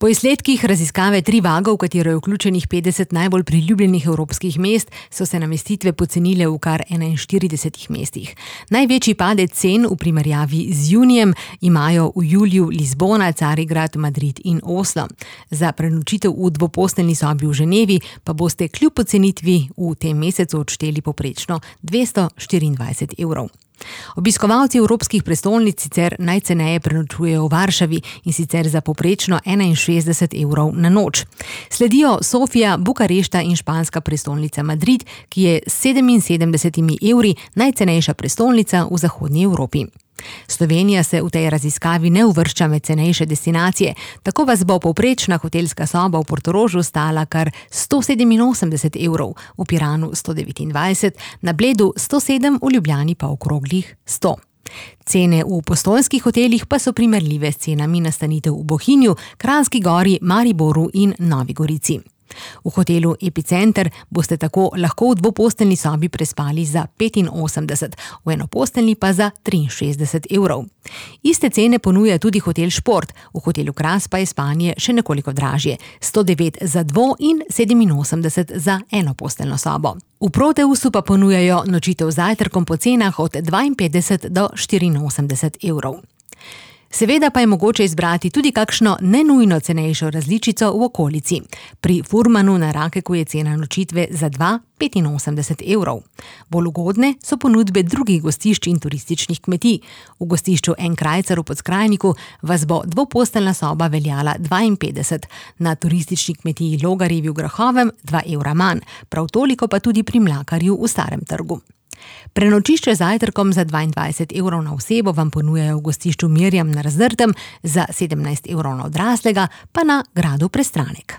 Po izsledkih raziskave Trivago, v katero je vključenih 50 najbolj priljubljenih evropskih mest, so se namestitve pocenile v kar 41 mestih. Največji padec cen v primerjavi z junijem imajo v juliju Lizbona, Carigrad, Madrid in Oslo. Za prenočitev v dvoposteljni sobi v Ženevi pa boste kljub pocenitvi v tem mesecu odšteli povprečno 224 evrov. Obiskovalci evropskih prestolnic sicer najceneje prenočujejo v Varšavi, in sicer za povprečno 61 evrov na noč. Sledijo Sofija, Bukarešta in španska prestolnica Madrid, ki je s 77 evri najcenejša prestolnica v zahodnji Evropi. Slovenija se v tej raziskavi ne uvršča med cenejše destinacije, tako vas bo povprečna hotelska soba v Portorožu stala kar 187 evrov, v Piranu 129, na Bledu 107, v Ljubljani pa okroglih 100. Cene v postojnskih hotelih pa so primerljive s cenami nastanitev v Bohinju, Kranjski Gori, Mariboru in Novi Gorici. V hotelu Epicenter boste tako lahko v dvoposteljni sobi prespali za 85, v enoposteljni pa za 63 evrov. Iste cene ponuja tudi hotel Šport, v hotelu Kras pa je spanje še nekoliko dražje, 109 za dvo in 87 za enoposteljno sobo. V Proteusu pa ponujajo nočitev z zajtrkom po cenah od 52 do 84 evrov. Seveda pa je mogoče izbrati tudi kakšno nenujno cenejšo različico v okolici. Pri Furmanu na Rakeku je cena nočitve za 85 evrov. Bolj ugodne so ponudbe drugih gostišč in turističnih kmetij. V gostišču En Krajcar v Podskrajniku vas bo dvoposteljna soba veljala 52, na turistični kmetiji Logarjevi v Grahovem 2 evra manj, prav toliko pa tudi pri Mlakarju v Starem trgu. Prenočišče z zajtrkom za 22 evrov na osebo vam ponujajo v gostišču Mirjam na Razdrtem, za 17 evrov na odraslega pa na Gradu Prestranek.